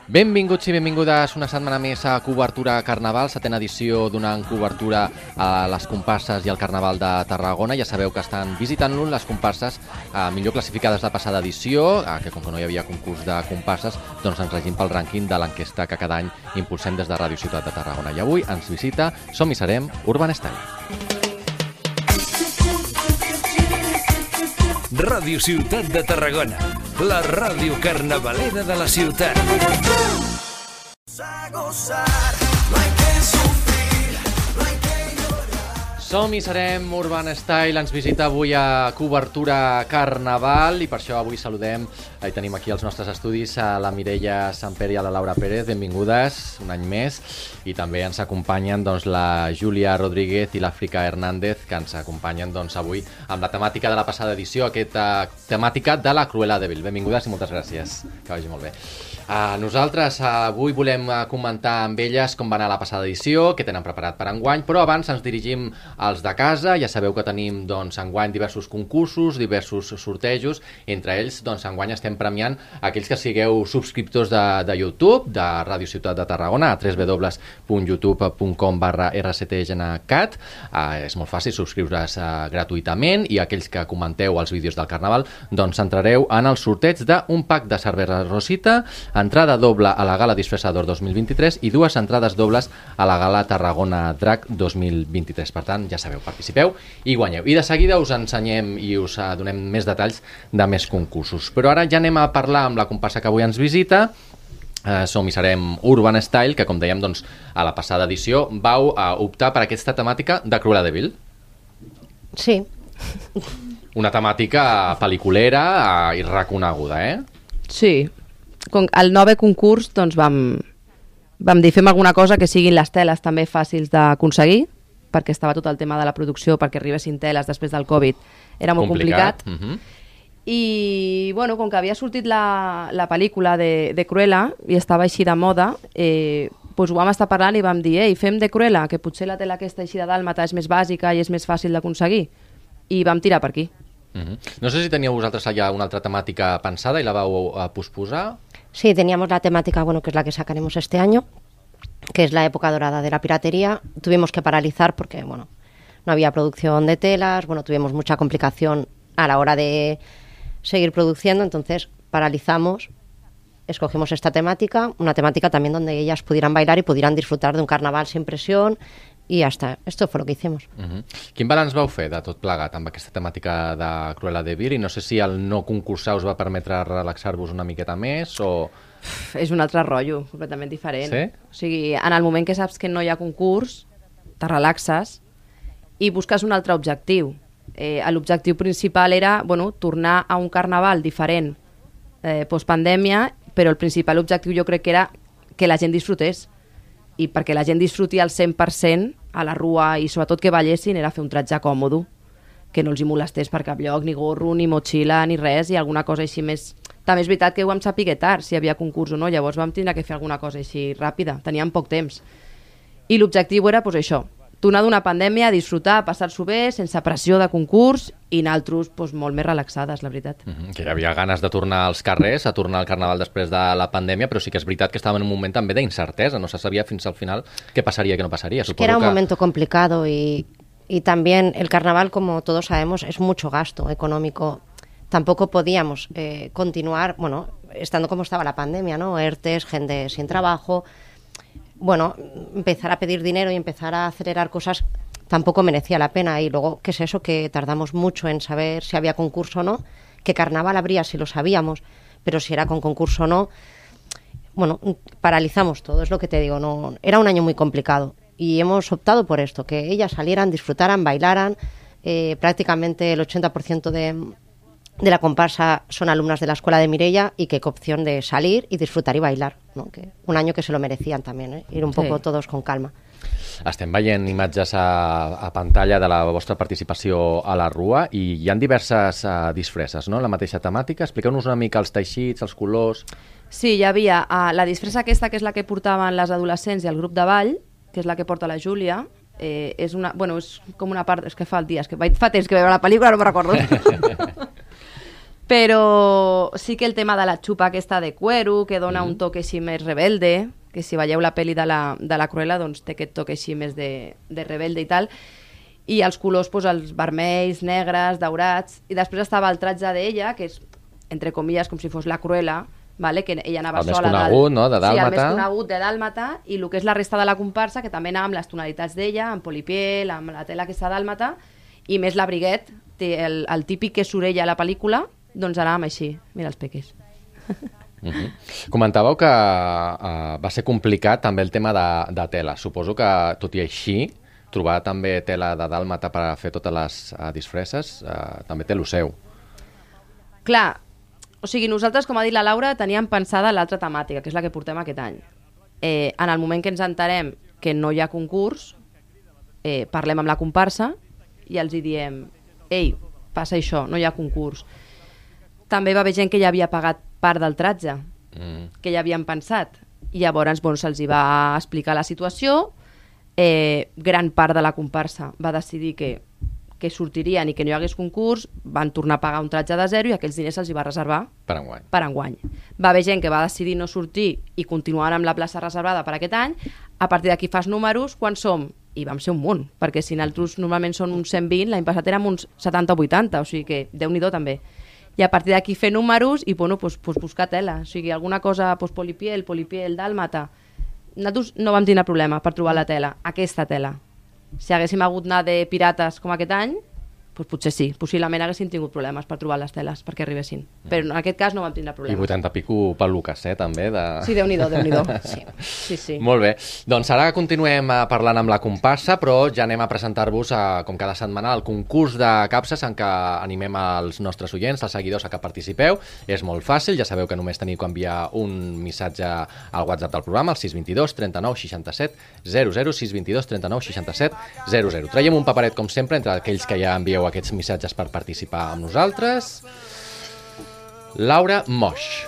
Benvinguts i benvingudes una setmana més a Cobertura Carnaval, setena edició donant cobertura a les comparses i al Carnaval de Tarragona. Ja sabeu que estan visitant-lo les comparses millor classificades de passada edició, que com que no hi havia concurs de comparses, doncs ens regim pel rànquing de l'enquesta que cada any impulsem des de Ràdio Ciutat de Tarragona. I avui ens visita, som i serem, Urban Style. Ràdio Ciutat de Tarragona, la ràdio carnavalera de la ciutat. Som i serem Urban Style, ens visita avui a Cobertura Carnaval i per això avui saludem, i tenim aquí als nostres estudis a la Mireia Samper i a la Laura Pérez, benvingudes un any més, i també ens acompanyen la Júlia Rodríguez i l'Àfrica Hernández, que ens acompanyen avui amb la temàtica de la passada edició, aquesta temàtica de la Cruella de Vil. Benvingudes i moltes gràcies, que vagi molt bé. Nosaltres avui volem comentar amb elles com va anar la passada edició, què tenen preparat per enguany, però abans ens dirigim als de casa. Ja sabeu que tenim enguany diversos concursos, diversos sortejos, entre ells enguany estem premiant aquells que sigueu subscriptors de YouTube, de Ràdio Ciutat de Tarragona, a www.youtube.com/rctgencat. És molt fàcil subscriure's gratuïtament, i aquells que comenteu els vídeos del Carnaval entrareu en el sorteig d'un pack de cervesa Rosita, entrada doble a la Gala Disfressador 2023 i 2 entrades dobles a la Gala Tarragona Drac 2023. Per tant, ja sabeu, participeu i guanyeu. I de seguida us ensenyem i us donem més detalls de més concursos. Però ara ja anem a parlar amb la comparsa que avui ens visita. Som i serem Urban Style, que com dèiem a la passada edició vau optar per aquesta temàtica de Cruella de Vil. Sí. Una temàtica pel·liculera i reconeguda, eh? Sí. Al 9è concurs vam dir fem alguna cosa que siguin les teles també fàcils d'aconseguir, perquè estava tot el tema de la producció, perquè arribessin teles després del Covid, era molt complicat. I com que havia sortit la pel·lícula de Cruella i estava així de moda, ho vam estar parlant i vam dir fem de Cruella, que potser la tela aquesta així de dàlmata és més bàsica i és més fàcil d'aconseguir, i vam tirar per aquí. No sé si teníeu vosaltres allà una altra temàtica pensada i la vau posposar. Sí, teníamos la temática, que es la que sacaremos este año, que es la época dorada de la piratería. Tuvimos que paralizar porque, no había producción de telas, tuvimos mucha complicación a la hora de seguir produciendo, entonces paralizamos, escogimos esta temática, una temática también donde ellas pudieran bailar y pudieran disfrutar de un carnaval sin presión, i ja està. Esto fue lo que hicimos. Quin balanç vau fer de tot plegat amb aquesta temàtica de Cruella de Vil? I no sé si el no concursar us va permetre relaxar-vos una miqueta més o... És un altre rotllo, completament diferent. Sí? O sigui, en el moment que saps que no hi ha concurs, te relaxes i busques un altre objectiu. L'objectiu principal era tornar a un carnaval diferent postpandèmia, però el principal objectiu jo crec que era que la gent disfrutés. I perquè la gent disfruti al 100% a la rua i sobretot que ballessin era fer un tratge còmode, que no els hi molestés per cap lloc, ni gorro, ni motxilla, ni res, i alguna cosa així més... També és veritat que ho vam saber tard, si hi havia concurs o no, llavors vam tindre que fer alguna cosa així ràpida, teníem poc temps. I l'objectiu era això, tornar d'una pandèmia, disfrutar, passar-s'ho bé, sense pressió de concurs, i nosaltres molt més relaxades, la veritat. Que hi havia ganes de tornar als carrers, a tornar al Carnaval després de la pandèmia, però sí que és veritat que estàvem en un moment també d'incertesa, no se sabia fins al final què passaria i què no passaria. Es que era un momento complicado y también el Carnaval, como todos sabemos, es mucho gasto económico. Tampoco podíamos continuar, estando como estaba la pandemia, ¿no? ERTES, gente sin trabajo... empezar a pedir dinero y empezar a acelerar cosas tampoco merecía la pena. Y luego, ¿qué es eso? Que tardamos mucho en saber si había concurso o no, que carnaval habría si lo sabíamos, pero si era con concurso o no, paralizamos todo, es lo que te digo, no, era un año muy complicado y hemos optado por esto, que ellas salieran, disfrutaran, bailaran, prácticamente el 80% de la comparsa son alumnas de la escuela de Mireia y que opción de salir y disfrutar y bailar, ¿no? Que un año que se lo merecían también, ir un poco todos con calma. Estem veient imatges a pantalla de la vostra participació a la Rua i hi ha diverses disfresses, no? La mateixa temàtica. Expliqueu-nos una mica els teixits, els colors... Sí, hi havia la disfressa aquesta, que és la que portaven les adolescents i el grup de ball, que és la que porta la Júlia. És com una part... És que fa el dia, fa temps que veure la pel·lícula, no me'n recordo. Però sí que el tema de la xupa aquesta de cuero, que dona un toque així més rebelde, que si veieu la pel·li de la Cruella, doncs té aquest toque així més de rebelde i tal, i els colors, doncs, els vermells, negres, daurats, i després estava el tratge d'ella, que és, entre comilles, com si fos la Cruella, vale? Que ella anava el sola. El més conegut, no?, de Dàlmata. Sí, el més conegut de Dàlmata, i el que és la resta de la comparsa, que també anava amb les tonalitats d'ella, amb polipiel, amb la tela aquesta Dàlmata, i més la Briguet, el típic que surt ella a la pel·lícula, doncs anàvem així. Mira els peques. Comentàveu que va ser complicat també el tema de tela. Suposo que, tot i així, trobar també tela de Dàlmata per fer totes les disfresses també té el seu. Clar, o sigui, nosaltres, com ha dit la Laura, teníem pensada l'altra temàtica, que és la que portem aquest any. En el moment que ens enterem que no hi ha concurs, parlem amb la comparsa i els hi diem: ei, passa això, no hi ha concurs. També va haver gent que ja havia pagat part del tratge, que ja havien pensat. I llavors se'ls hi va explicar la situació. Gran part de la comparsa va decidir que sortirien i que no hi hagués concurs, van tornar a pagar un tratge de zero i aquells diners se'ls hi va reservar per enguany. Va haver gent que va decidir no sortir i continuar amb la plaça reservada per aquest any. A partir d'aquí fas números, quan som? I vam ser un munt, perquè si nosaltres normalment són uns 120, l'any passat érem uns 70 o 80, o sigui que Déu-n'hi-do també. I a partir d'aquí fer números i buscar tela. O sigui, alguna cosa, polipiel, Dàlmata. Nosaltres no vam tenir problema per trobar la tela, aquesta tela. Si haguéssim hagut anar de pirates com aquest any, doncs potser sí, possiblement haguéssim tingut problemes per trobar les teles perquè arribessin. Però en aquest cas no vam tindre problemes. I 80 pico peluques, també? Sí, Déu-n'hi-do, Déu-n'hi-do. Sí. Molt bé. Doncs ara continuem parlant amb la comparsa, però ja anem a presentar-vos, com cada setmana, el concurs de capses en què animem els nostres oients, els seguidors, a que participeu. És molt fàcil, ja sabeu que només teniu que enviar un missatge al WhatsApp del programa, al 622 39 67 00, 622 39 67 00. Traiem un paperet, com sempre, entre aquells que ja envieu aquests missatges per participar amb nosaltres. Laura Moix.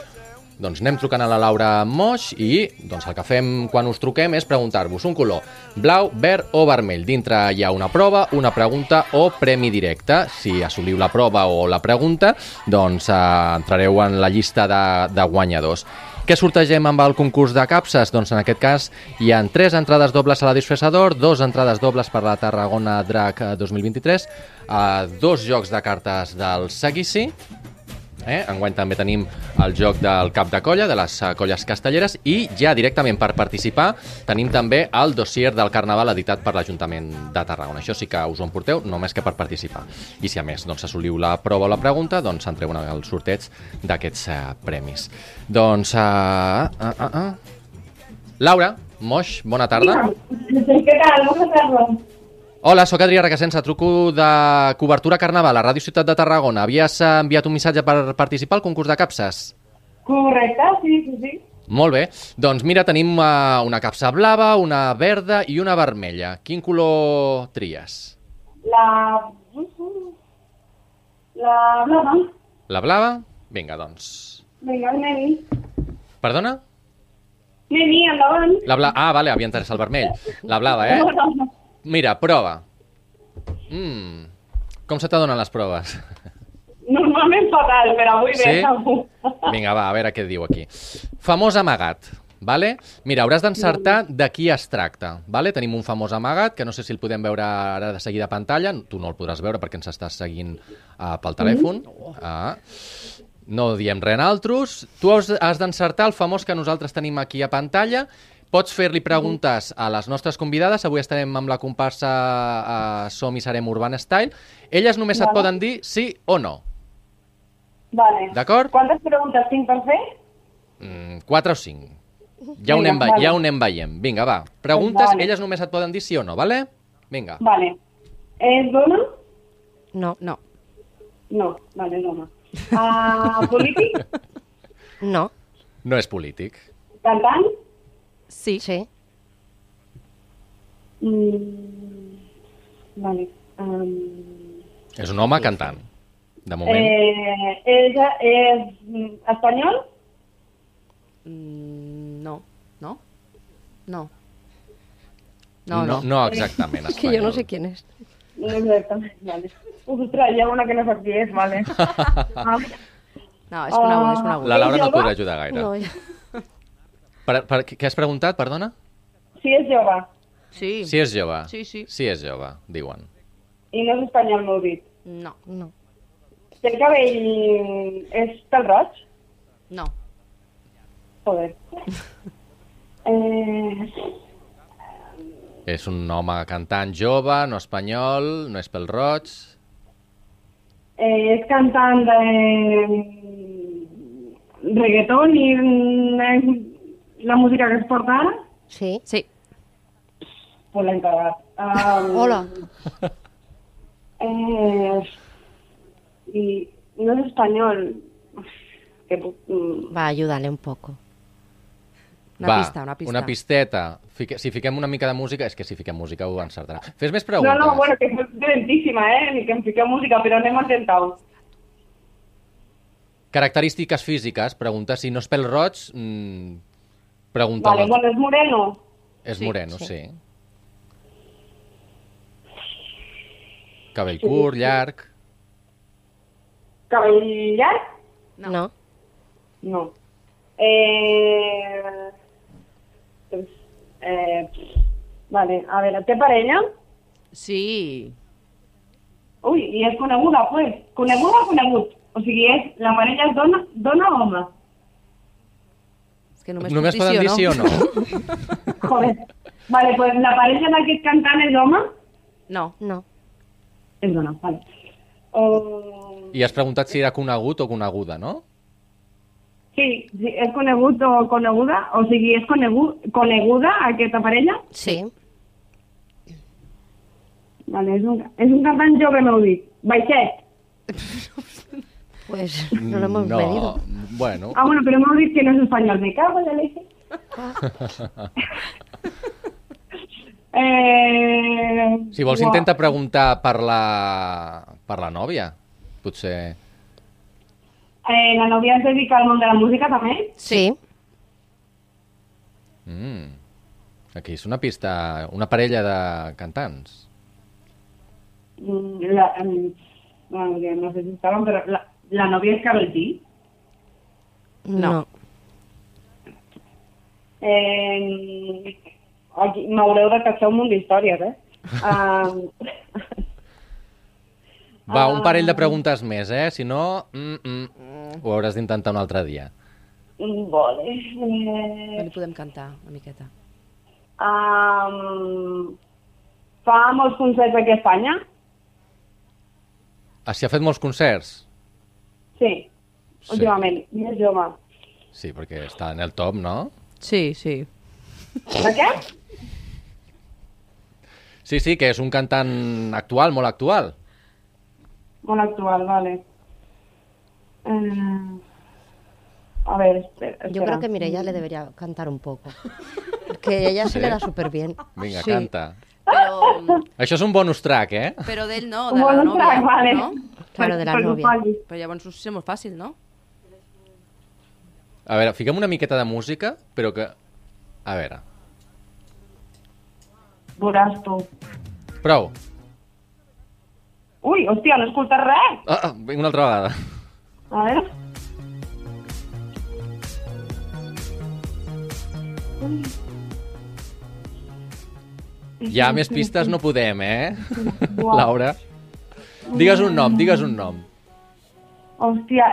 Doncs anem trucant a la Laura Moix i doncs el que fem quan us truquem és preguntar-vos un color blau, verd o vermell. Dintre hi ha una prova, una pregunta o premi directe. Si assoliu la prova o la pregunta, doncs entrareu en la llista de guanyadors. Què sortegem amb el concurs de capses? Doncs en aquest cas hi ha 3 entrades dobles a la Disfressador, 2 entrades dobles per la Tarragona Drac 2023, 2 jocs de cartes del Seguici. Enguany també tenim el joc del cap de colla, de les colles castelleres, i ja directament per participar tenim també el dossier del Carnaval editat per l'Ajuntament de Tarragona. Això sí que us ho emporteu només que per participar. I si a més assoliu la prova o la pregunta, doncs entreu en el sorteig d'aquests premis. Doncs... Laura Moix, bona tarda. Què tal? Bona tarda. Hola, sóc Adrià Requesens, truco de Cobertura Carnaval a Ràdio Ciutat de Tarragona. Havies enviat un missatge per participar al concurs de capses? Correcte, sí. Molt bé. Doncs mira, tenim una capsa blava, una verda i una vermella. Quin color tries? La blava. La blava? Vinga, doncs. Vinga, anem-hi. Perdona? Anem-hi, endavant. Vale, havia entès el vermell. La blava, No. Mira, prova. Com se t'adonen les proves? Normalment fatal, però avui bé. Sí? Vinga, va, a veure què diu aquí. Famós amagat, vale? Mira, hauràs d'encertar de qui es tracta, vale? Tenim un famós amagat, que no sé si el podem veure ara de seguida a pantalla. Tu no el podràs veure perquè ens estàs seguint pel telèfon. No diem res altres. Tu has d'encertar el famós que nosaltres tenim aquí a pantalla. Pots fer-li preguntes a les nostres convidades. Avui estarem amb la comparsa Som i Serem Urban Style. Elles només et poden dir sí o no. Vale. D'acord? Quantes preguntes tinc per fer? 4 o 5. Ja ho anem veient. Vinga, va. Preguntes, elles només et poden dir sí o no, vale? Vinga. Vale. És dona? No. No, vale, dona. Polític? No. No és polític. Cantant? Sí. Vale. És un home cantant, de moment. És espanyol? No exactament espanyol. Que yo no sé quién es. No exactament, vale. Ostres, hi ha una que no sap qui és, vale. No, és conegut, és conegut. La Laura no jove? et podrà ajudar gaire. No, Què has preguntat, perdona? Si és jove. Sí. Si és jove. Sí, sí. Si és jove, diuen. I no és espanyol, m'heu dit. No, no. Té el cabell... És pel roig? no. Joder. És un home cantant jove, no espanyol, no és pel roig. És cantant de reggaeton i la música que es porta ara? Sí. Sí. Pues l'hem cagat. Hola. I no és espanyol. Que Va, ayúdale un poco. Una pista, una pista. Una pisteta. Si fiquem una mica de música... És que si fiquem música ho encertarà. Fes més no, preguntes. no, bueno, que és lentíssima, ni que em fiqueu música, però anem a intentar-ho. Característiques físiques. Pregunta si no és pel roig... pregunta. Vale, bueno, és moreno. És Sí, moreno, sí. sí. Cabell curt, llarg... Cabell llarg? No. No. Vale, a veure, té parella? Sí. Ui, i és coneguda, pues. Coneguda o conegut? O sigui, la parella és dona o home? És que només, Només puc poden dir sí o no? Joder. Vale, pues la parella d'aquest cantant és home? No. No. És dona, vale. I has preguntat si era conegut o coneguda, no? Sí, és conegut o coneguda? O sigui, és coneguda aquesta parella? Sí. Vale, és un cantant jove, m'heu dit. Baixet. Pues no lo hemos medido. Bueno, Ah, bueno, però m'heu dit que no és espanyol. Me cago en la leche. si vols uau. intenta preguntar per la nòvia. Potser... La nòvia es dedica al món de la música, també? Sí. Aquí és una pista... Una parella de cantants. Bueno, que no sé si estaven, però la nòvia és Karol G. No. Aquí m'haureu de cachar un munt d'històries, Va, un parell de preguntes més, eh? Si no, ho hauràs d'intentar un altre dia. Vale. No li podem cantar una miqueta. Fa molts concerts aquí a Espanya? Ah, si ha fet molts concerts? Sí, últimament. I és jove. Sí, perquè està en el top, no? Sí, sí. De què? Sí, sí, que és un cantant actual, molt actual. Molt actual, vale. A ver, espera. Yo creo que Mireia le debería cantar un poco. Que a ella se le da súper bien. Vinga, Sí. canta. Però, Això és un bonus track, eh? però d'ell no, Un de la bonus nòvia. track, vale. No? Claro, de la Pues ho novia. faci. Però llavors ho sé molt fàcil, no? A veure, fiquem una miqueta de música, però que... A veure, Veuràs tu. prou. Ui, hòstia, no he escoltat res. Vinc una altra vegada. A veure. Ja més pistes no podem, eh? Uau. Laura. Digues un nom, digues un nom. Hòstia,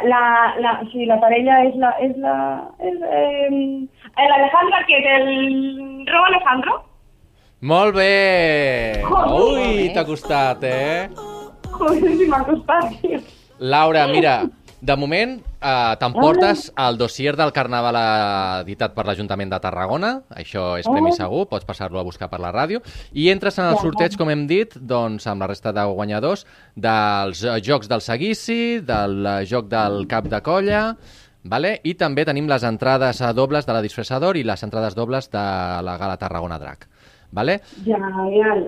sí, la parella és l'Alejandra, que és el Rob Alejandro. Molt bé! Joder. Ui, t'ha costat, eh? Joder, si m'ha costat, tio. Laura, mira, de moment t'emportes el dossier del Carnaval editat per l'Ajuntament de Tarragona. Això és premi segur, pots passar-lo a buscar per la ràdio. I entres en el sorteig, com hem dit, doncs, amb la resta de guanyadors dels Jocs del Seguici, del Joc del Cap de Colla, vale? I també tenim les entrades dobles de la Disfressador i les entrades dobles de la Gala Tarragona Drac. Vale? Genial.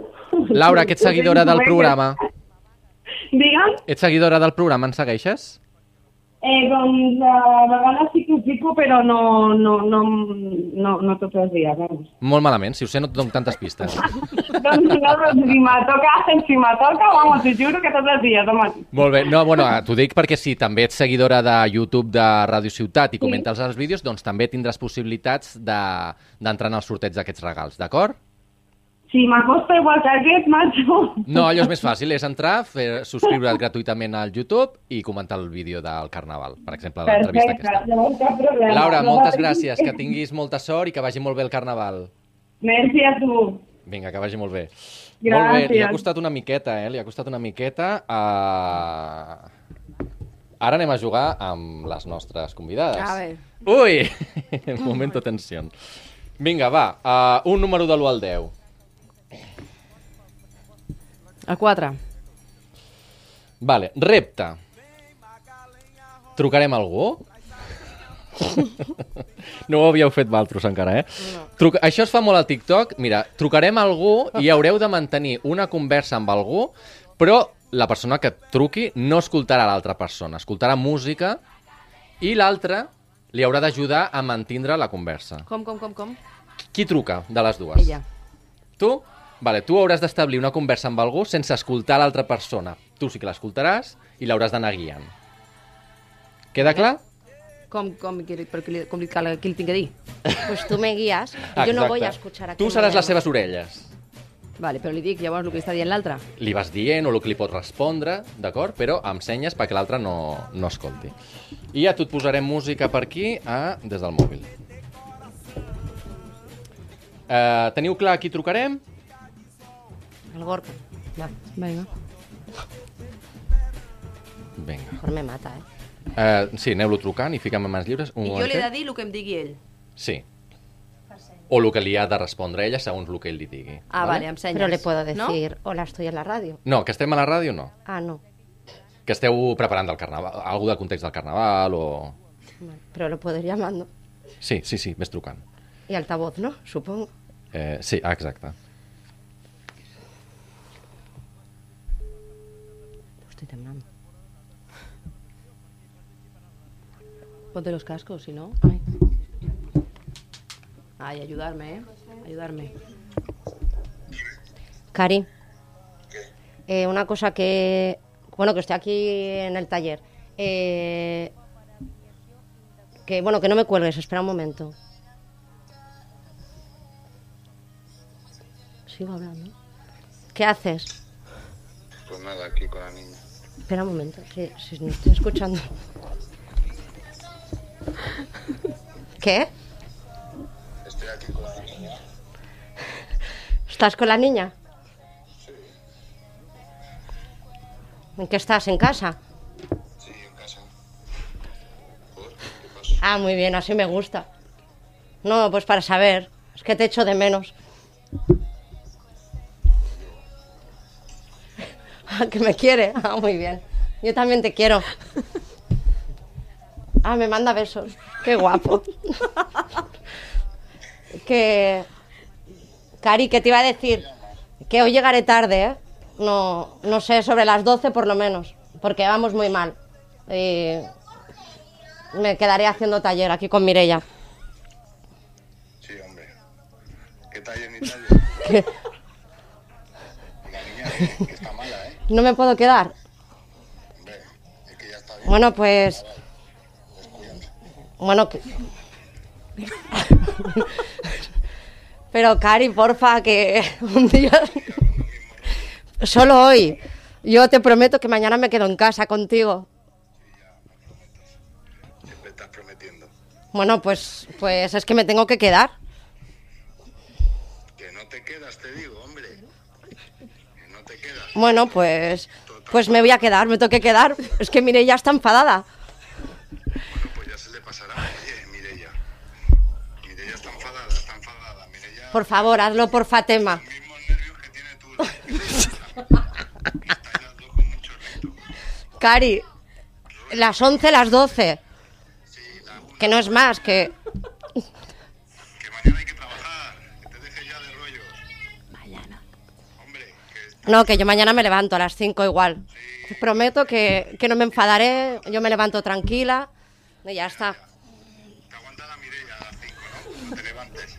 Laura, que ets seguidora del programa. Digue'm? Ets seguidora del programa, ens segueixes? Doncs a vegades sí que ho fico, però no tots els dies, vamos. Molt malament, si ho sé no et dono tantes pistes. Doncs no, però si me toca, vamos, t'ho juro que tots els dies, home. Molt bé, no, bueno, t'ho dic perquè si també ets seguidora de YouTube de Ràdio Ciutat i comentes els vídeos, doncs també tindràs possibilitats d'entrar en el sorteig d'aquests regals, d'acord? Si m'acosta igual que aquest, macho. No, allò és més fàcil, és entrar, subscriure't gratuïtament al YouTube i comentar el vídeo del Carnaval, per exemple, l'entrevista aquesta. Llavors cap problema. Laura, moltes gràcies, que tinguis molta sort i que vagi molt bé el Carnaval. Merci a tu. Vinga, que vagi molt bé. Gràcies. Molt bé, li ha costat una miqueta, li ha costat una miqueta. Ara anem a jugar amb les nostres convidades. A veure. Ui! Momento tensió. Vinga, va, un número de l'1 al 10. El 4. Vale, repte. Trucarem a algú? No ho havíeu fet valtros encara, No. Això es fa molt al TikTok. Mira, trucarem a algú i haureu de mantenir una conversa amb algú, però la persona que truqui no escoltarà l'altra persona, escoltarà música i l'altra li haurà d'ajudar a mantindre la conversa. Com? Qui truca de les dues? Ella. Tu? Vale, tu hauràs d'establir una conversa amb algú sense escoltar l'altra persona. Tu sí que l'escoltaràs i l'hauràs d'anar guiant. Queda clar? Com li cal qui li tinc que dir? Pues tú me guías. Yo no voy a escuchar aquí. Tu seràs les seves orelles. Vale, però li dic llavors el que està dient l'altre. Li vas dient o el que li pot respondre, d'acord? Però amb senyes perquè l'altre no escolti. I ja tu et posarem música per aquí des del mòbil. Teniu clar a qui trucarem? El Gorka. Va. Vinga. Vinga. Mejor me mata, Sí, aneu-lo trucant i fica'm en mans lliures. I jo li he de dir el que em digui ell. Sí. O el que li ha de respondre ella segons el que ell li digui. Vale, amb senyes. Pero le puedo decir, ¿no? hola, estoy en la radio. No, que estem a la ràdio no. Ah, no. Que esteu preparant del Carnaval, algú del context del Carnaval o... Vale, pero lo puedo ir llamando. Sí, ves trucant. Y altavoz, ¿no? Supongo. Sí, exacte. Estoy temblando. Ponte los cascos, si no. Ay, ayudarme, ayudarme. Cari, una cosa que... Bueno, que estoy aquí en el taller. Que no me cuelgues, espera un momento. Sigo hablando. ¿Qué haces? Pues nada, aquí con la niña. Espera un momento, si no estoy escuchando. ¿Qué? Estoy aquí con la niña. ¿Estás con la niña? Sí. ¿En qué estás? ¿En casa? Sí, en casa. ¿Por? ¿Qué pasa? Ah, muy bien, así me gusta. No, pues para saber. Es que te echo de menos. Ah, que me quiere. Ah, muy bien. Yo también te quiero. Ah, me manda besos. Qué guapo. Cari, ¿qué te iba a decir? Que hoy llegaré tarde, ¿eh? No sé, sobre las 12 por lo menos. Porque vamos muy mal. Y me quedaré haciendo taller aquí con Mireia. Sí, hombre. ¿Qué taller ni taller? ¿Qué? La niña que está mala, ¿eh? ¿No me puedo quedar? Hombre, es que ya está bien. Bueno, pues... Descuídate. Bueno, pero Cari, porfa, que un día... Solo hoy. Yo te prometo que mañana me quedo en casa contigo. Siempre estás prometiendo. Bueno, pues es que me tengo que quedar. Que no te quedas, te digo, hombre. Que no te quedas. Bueno, pues me voy a quedar, me tengo que quedar. Es que Mireia está enfadada. Bueno, pues ya se le pasará. Oye, Mireia. Mireia está enfadada, Mireia... Por favor, hazlo por Fatema. Los mismos nervios que tiene tú. Estáis las dos con mucho reto. Cari, las 11, las 12. Sí, la una. Que no es más, que... Que mañana hay que trabajar. Que te dejes ya de rollos. Mañana. Hombre, que No, que yo mañana me levanto a las 5 igual. Os prometo que no me enfadaré, yo me levanto tranquila y ya está. Te aguanta la Mireia a las 5, ¿no? Te levantes.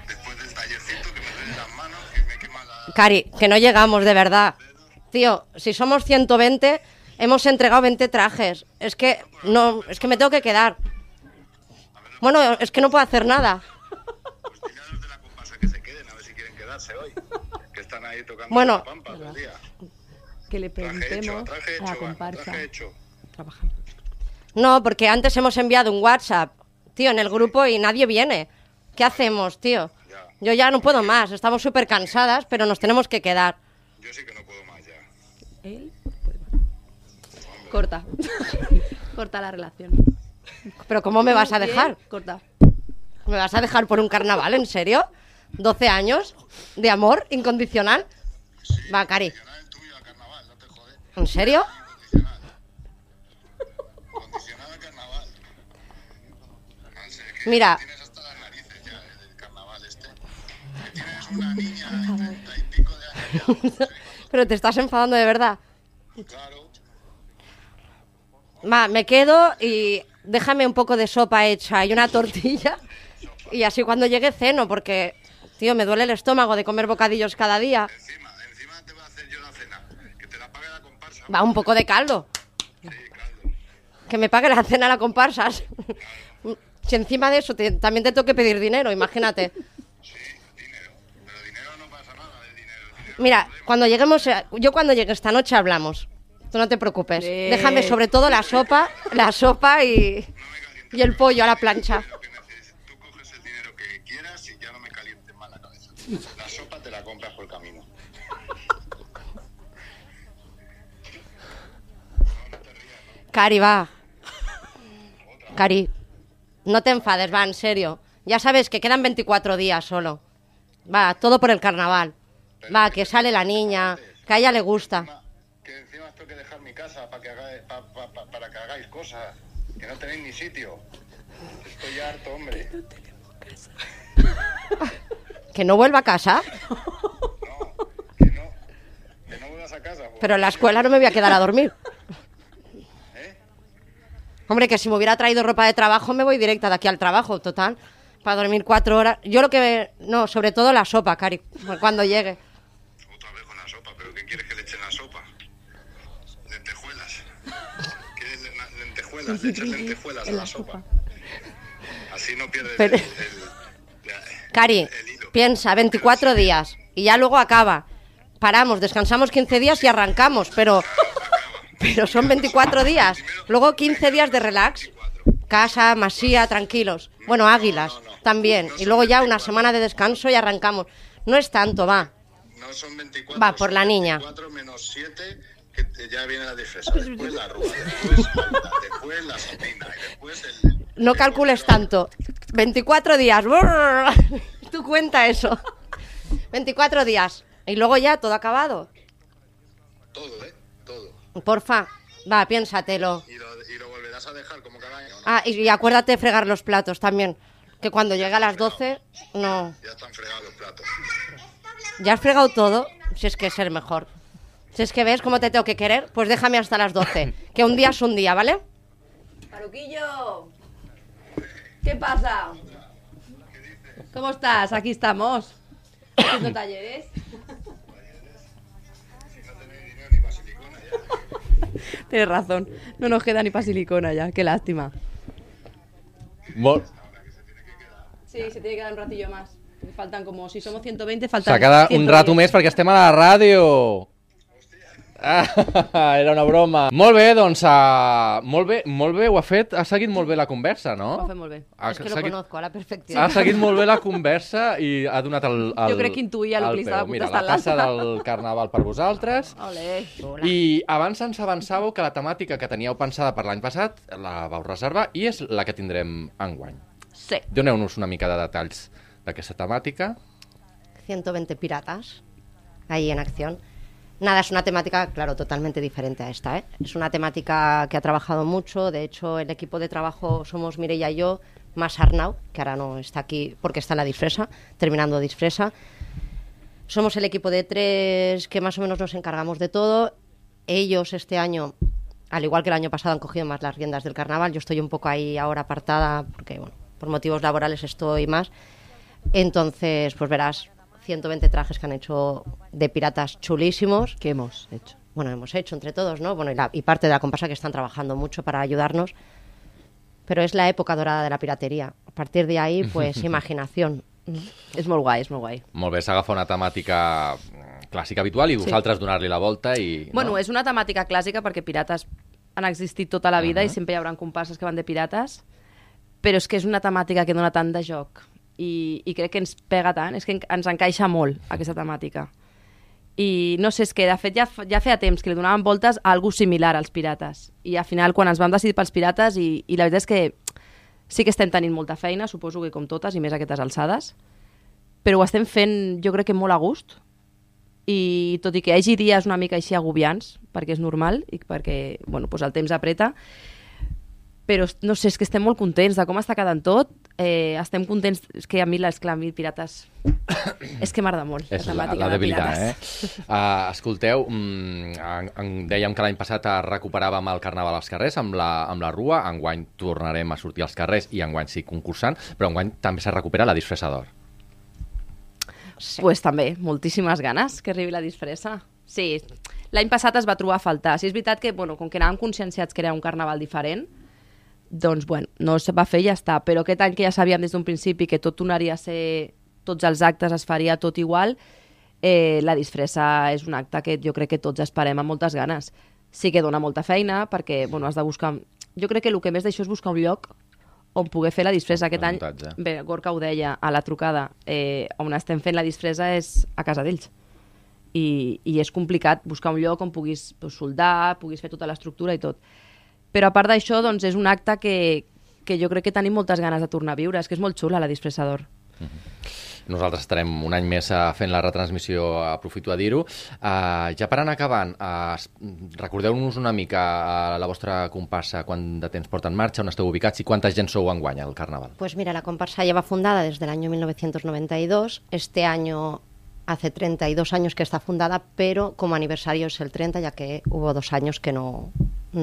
Después del tallercito que me duelen las manos, que me quema la... Cari, que no llegamos, de verdad. Tío, si somos 120, hemos entregado 20 trajes. Es que me tengo que quedar. Bueno, es que no puedo hacer nada. Pues dile a los de la comparsa que se queden, a ver si quieren quedarse hoy. Que están ahí tocando Bueno. la pampa todo el día. Que le Traje hecho, preguntemos traje a la hecho, comparsa. traje hecho. Trabajando. No, porque antes hemos enviado un WhatsApp, tío, en el grupo y nadie viene. ¿Qué hacemos, tío? Ya. Yo ya no puedo más, estamos súper cansadas, pero nos tenemos que quedar. Yo sí que no puedo más ya. Él puede más. Corta. Corta la relación. ¿Pero cómo me vas a Bien, dejar? Corta. ¿Me vas a dejar por un carnaval, en serio? ¿12 años de amor incondicional? Va, Cari, Condicional el tuyo a carnaval, no te jodes. ¿en serio? Condicional. Condicional a carnaval. No sé, que Mira. tienes hasta las narices ya del carnaval este. Que tienes una niña de 30 y pico de años ya. Pero te estás enfadando de verdad. Claro. Va, me quedo y déjame un poco de sopa hecha y una tortilla. Y así cuando llegue ceno, porque, tío, me duele el estómago de comer bocadillos cada día. Encima te voy a hacer yo la cena. Que te la pague la comparsa. Va, un poco de caldo. Sí, caldo. Que me pague la cena a la comparsas. Si encima de eso también te tengo que pedir dinero, imagínate. Sí, dinero. Pero dinero no pasa nada del dinero. El dinero Mira, cuando lleguemos, yo cuando llegue esta noche hablamos. Tú no te preocupes. Déjame sobre todo la sopa y el pollo a la plancha. lo que necesites. Tú coges el dinero que quieras y ya no me calientes más la cabeza. La sopa te la compras por el camino. Cari, va. Cari, no te enfades, va, en serio. Ya sabes que quedan 24 días solo. Va, todo por el carnaval. Va, que sale la niña, que a ella le gusta. Que encima tengo que dejar mi casa para que hagáis cosas. Que no tenéis ni sitio. Estoy ya harto, hombre. ¿Que no vuelva a casa? Que no vuelvas a casa. Pues. Pero en la escuela no me voy a quedar a dormir. ¿Eh? Hombre, que si me hubiera traído ropa de trabajo me voy directa de aquí al trabajo, total. Para dormir 4 horas. Yo lo que... No, sobre todo la sopa, Cari, cuando llegue. Otra vez con la sopa. ¿Pero qué quieres que le eche en la sopa? Lentejuelas. ¿Quieres lentejuelas? Le echas lentejuelas a la sopa. Así no pierdes Pero- Cari, el hilo. piensa, 24 días y ya luego acaba. Paramos, descansamos 15 días y arrancamos, pero son 24 días. Luego 15 días de relax. Casa, masía, tranquilos. Bueno, águilas también. Y luego ya una semana de descanso y arrancamos. No es tanto, va. No son 24. Va, por la son niña. 24 menos 7, que ya viene la disfresa. Después la arruga, después Malta, después la sardina y después el... No calcules tanto. 24 días. Brrr. Tú cuenta eso. 24 días. Y luego ya todo acabado. Todo, ¿eh? Todo. Porfa, va, piénsatelo. Y lo volverás a dejar como cada año, ¿no? Ah, y acuérdate de fregar los platos también. Que cuando llegue a las 12, no. Ya están fregados los platos. ¿Ya has fregado todo? Si es que es el mejor. Si es que ves cómo te tengo que querer, pues déjame hasta las 12. Que un día es un día, ¿vale? Maruquillo, ¿qué pasa? ¿Cómo estás? Aquí estamos. Haciendo talleres. Tienes razón. No nos queda ni para silicona ya. Qué lástima. Sí, se tiene que dar un ratillo más. Faltan como, si somos 120, faltan S'ha quedat un 110. rato més perquè estem a la ràdio. Ah, era una broma. Molt bé, doncs, molt bé, ho ha fet, ha seguit molt bé la conversa, Ho no? ha fet molt bé. Ha, Es que lo seguit, conozco a la perfección. ha seguit molt bé la conversa i ha donat el Jo crec que intuïa el que li estava Mira, la contestant tassa l'altre. del carnaval per vosaltres. Olé. I abans ens avançàveu que la temàtica que teníeu pensada per l'any passat la vau reservar i és la que tindrem enguany. Sí. Doneu-nos una mica de detalls d'aquesta temàtica. 120 piratas ahí en acción. Nada, es una temática, claro, totalmente diferente a esta, ¿eh? Es una temática que ha trabajado mucho. De hecho, el equipo de trabajo somos Mireia y yo, más Arnau, que ahora no está aquí porque está en la disfresa, terminando disfresa. Somos el equipo de 3 que más o menos nos encargamos de todo. Ellos este año, al igual que el año pasado, han cogido más las riendas del carnaval. Yo estoy un poco ahí ahora apartada porque, bueno, por motivos laborales estoy más. Entonces, pues verás, 120 trajes que han hecho de piratas chulísimos. ¿Qué hemos hecho? Bueno, hemos hecho entre todos, ¿no? Bueno, y parte de la comparsa que están trabajando mucho para ayudarnos. Pero es la época dorada de la pirateria. A partir de ahí, pues, imaginación. És molt guai, és molt guai. Molt bé, s'agafa una temàtica clàssica habitual i vosaltres donar-li la volta i... Bueno, és una temàtica clàssica perquè pirates han existit tota la vida i sempre hi haurà comparses que van de pirates, però és que és una temàtica que dona tant de joc i crec que ens pega tant, és que ens encaixa molt aquesta temàtica. I no sé, és que de fet ja feia temps que li donaven voltes a algú similar als pirates i al final quan ens vam decidir pels pirates i la veritat és que sí que estem tenint molta feina, suposo que com totes, i més a aquestes alçades, però ho estem fent jo crec que molt a gust, i tot i que hi hagi dies una mica així agobiants, perquè és normal, i perquè bueno, doncs el temps apreta, però no sé, és que estem molt contents de com està quedant tot, estem contents, és que a mi pirates, és que m'agrada molt és la debilitat, escolteu, dèiem que l'any passat recuperàvem el Carnaval als carrers amb la Rua, enguany tornarem a sortir als carrers i enguany sí concursant, però enguany també se recupera la disfressa d'or. Sí. Pues també, moltíssimes ganes que arribi la disfressa. Sí, l'any passat es va trobar a faltar. Sí, és veritat que, bueno, com que anàvem conscienciats que era un carnaval diferent, doncs, bueno, no es va fer i ja està. Però aquest any que ja sabíem des d'un principi que tot tornaria a ser... tots els actes es faria tot igual, la disfressa és un acte que jo crec que tots esperem amb moltes ganes. Sí que dona molta feina perquè, bueno, has de buscar... Jo crec que el que més d'això és buscar un lloc on poder fer la disfressa. Aquest any, bé, Gorka ho deia a la trucada, on estem fent la disfressa és a casa d'ells. I és complicat buscar un lloc on puguis soldar, puguis fer tota l'estructura i tot. Però a part d'això, doncs, és un acte que jo crec que tenim moltes ganes de tornar a viure. És que és molt xula la disfressa d'or. Nosaltres estarem un any més fent la retransmissió, aprofito a dir-ho. Ja per anar acabant, recordeu-nos una mica la vostra comparsa, quant de temps porta en marxa, on esteu ubicats i quanta gent sou enguany al Carnaval. Pues mira, la comparsa lleva fundada desde el año 1992. Este año hace 32 años que está fundada, pero como aniversario es el 30, ya que hubo 2 años que no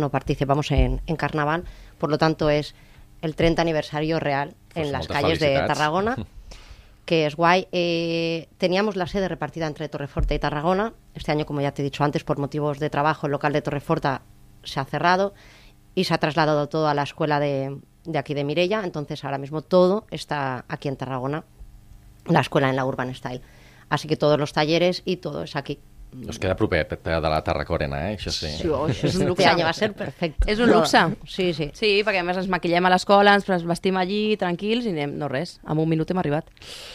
participamos en Carnaval. Por lo tanto, es el 30 aniversario real en las calles de Tarragona, que es guay. Teníamos la sede repartida entre Torreforta y Tarragona. Este año, como ya te he dicho antes, por motivos de trabajo, el local de Torreforta se ha cerrado y se ha trasladado todo a la escuela de aquí de Mireia. Entonces, ahora mismo todo está aquí en Tarragona, la escuela en la Urban Style. Así que todos los talleres y todo es aquí. Us queda proper de la Tarracòrena, això sí. Sí, és un luxe. Este año va a ser perfecte. És un luxe. Sí, sí. Sí, perquè a més ens maquillem a l'escola, ens vestim allí, tranquils, i anem, no res, en un minut hem arribat.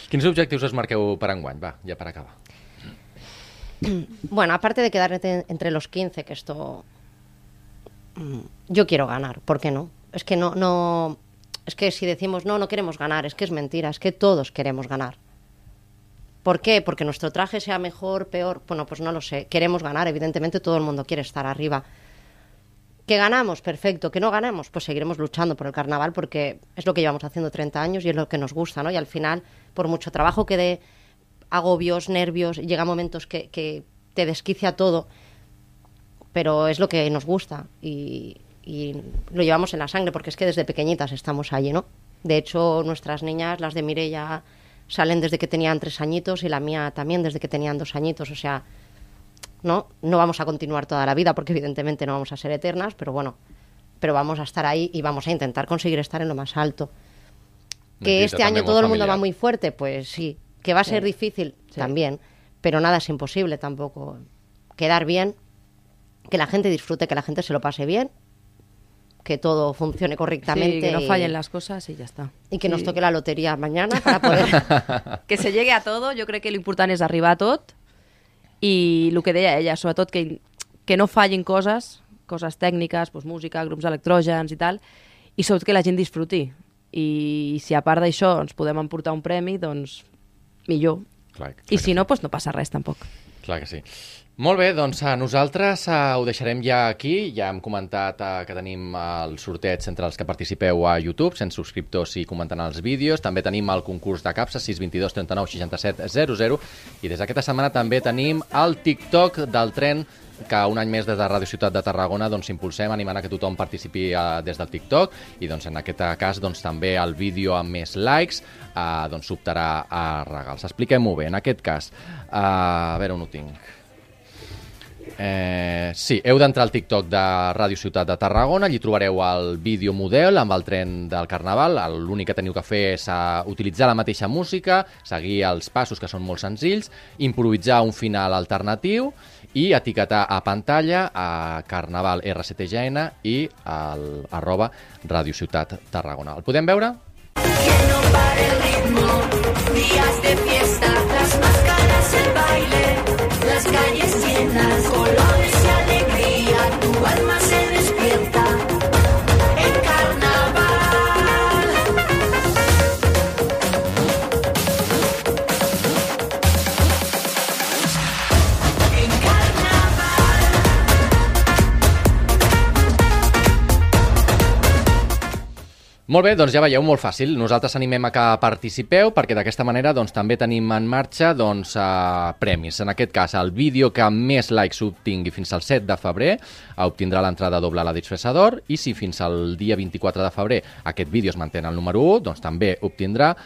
Quins objectius es marqueu per enguany? Va, ja per acabar. Bueno, aparte de quedar entre los 15, que esto... Yo quiero ganar, ¿por qué no? Es que no... Es que si decimos no queremos ganar, es que es mentira, es que todos queremos ganar. ¿Por qué? Porque nuestro traje sea mejor, peor, bueno, pues no lo sé. Queremos ganar, evidentemente todo el mundo quiere estar arriba. ¿Que ganamos? Perfecto. ¿Que no ganamos? Pues seguiremos luchando por el carnaval porque es lo que llevamos haciendo 30 años y es lo que nos gusta, ¿no? Y al final, por mucho trabajo que dé, agobios, nervios, llega momentos que te desquicia todo, pero es lo que nos gusta y lo llevamos en la sangre porque es que desde pequeñitas estamos allí, ¿no? De hecho, nuestras niñas, las de Mireia, salen desde que tenían 3 añitos y la mía también desde que tenían 2 añitos, o sea, no vamos a continuar toda la vida porque evidentemente no vamos a ser eternas, pero bueno, pero vamos a estar ahí y vamos a intentar conseguir estar en lo más alto. Que este año todo el mundo va muy fuerte, pues sí. Que va a ser difícil también, pero nada es imposible tampoco. Quedar bien, que la gente disfrute, que la gente se lo pase bien, que todo funcione correctamente. Sí, que no fallen las cosas y ya está. Y que nos toque la lotería mañana para poder... Que se llegue a todo, jo crec que l'important és arribar a tot i el que deia ella, sobretot que no fallin coses tècniques, doncs música, grups electrògens i tal, i sobretot que la gent disfruti. I si a part d'això ens podem emportar un premi, doncs millor. Clar, I si no, doncs no passa res tampoc. Clar que sí. Molt bé, doncs nosaltres ho deixarem ja aquí. Ja hem comentat que tenim el sorteig entre els que participeu a YouTube, 100 subscriptors i comentant els vídeos. També tenim el concurs de capsa, 622 39 67 00. I des d'aquesta setmana també tenim el TikTok del tren, que un any més des de Ràdio Ciutat de Tarragona doncs, impulsem, animant a que tothom participi des del TikTok, i doncs, en aquest cas doncs, també el vídeo amb més likes doncs, s'optarà a regals. Expliquem-ho bé. En aquest cas, a veure on ho tinc. Sí, heu d'entrar al TikTok de Ràdio Ciutat de Tarragona, allí trobareu el vídeo model amb el tren del Carnaval. L'únic que teniu que fer és utilitzar la mateixa música, seguir els passos, que són molt senzills, improvisar un final alternatiu i etiquetar a pantalla a Carnaval RCTGN i @Ràdio Ciutat Tarragona. El podem veure? Que no pare el ritmo, días de fiesta, las máscaras, el baile, las calles llenas, colores y alegría, tu alma se despierta en carnaval. En carnaval. Molt bé, doncs ja veieu, molt fàcil. Nosaltres animem a que participeu, perquè d'aquesta manera doncs, també tenim en marxa doncs, premis. En aquest cas, el vídeo que més likes obtingui fins al 7 de febrer obtindrà l'entrada doble a la Disfressador, i si fins al dia 24 de febrer aquest vídeo es manté el número 1, doncs també obtindrà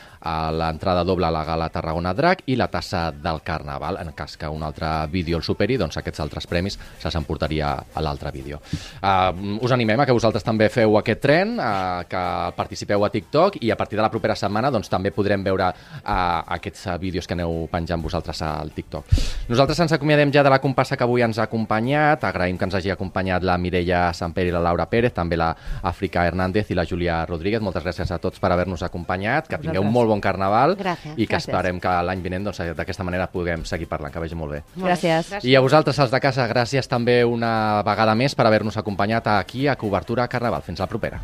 l'entrada doble a la Gala Tarragona Drac i la tassa del Carnaval. En cas que un altre vídeo el superi, doncs aquests altres premis se'ls emportaria a l'altre vídeo. Us animem a que vosaltres també feu aquest tren, que participeu a TikTok, i a partir de la propera setmana doncs, també podrem veure aquests vídeos que aneu penjant vosaltres al TikTok. Nosaltres ens acomiadem ja de la compassa que avui ens ha acompanyat. Agraïm que ens hagi acompanyat la Mireia Samper i la Laura Pérez, també la Àfrica Hernández i la Júlia Rodríguez. Moltes gràcies a tots per haver-nos acompanyat, que tingueu un molt bon Carnaval. Gràcies. I que esperem que l'any vinent doncs, d'aquesta manera puguem seguir parlant, que vagi molt bé. Gràcies. I a vosaltres, els de casa, gràcies també una vegada més per haver-nos acompanyat aquí a Cobertura Carnaval. Fins la propera.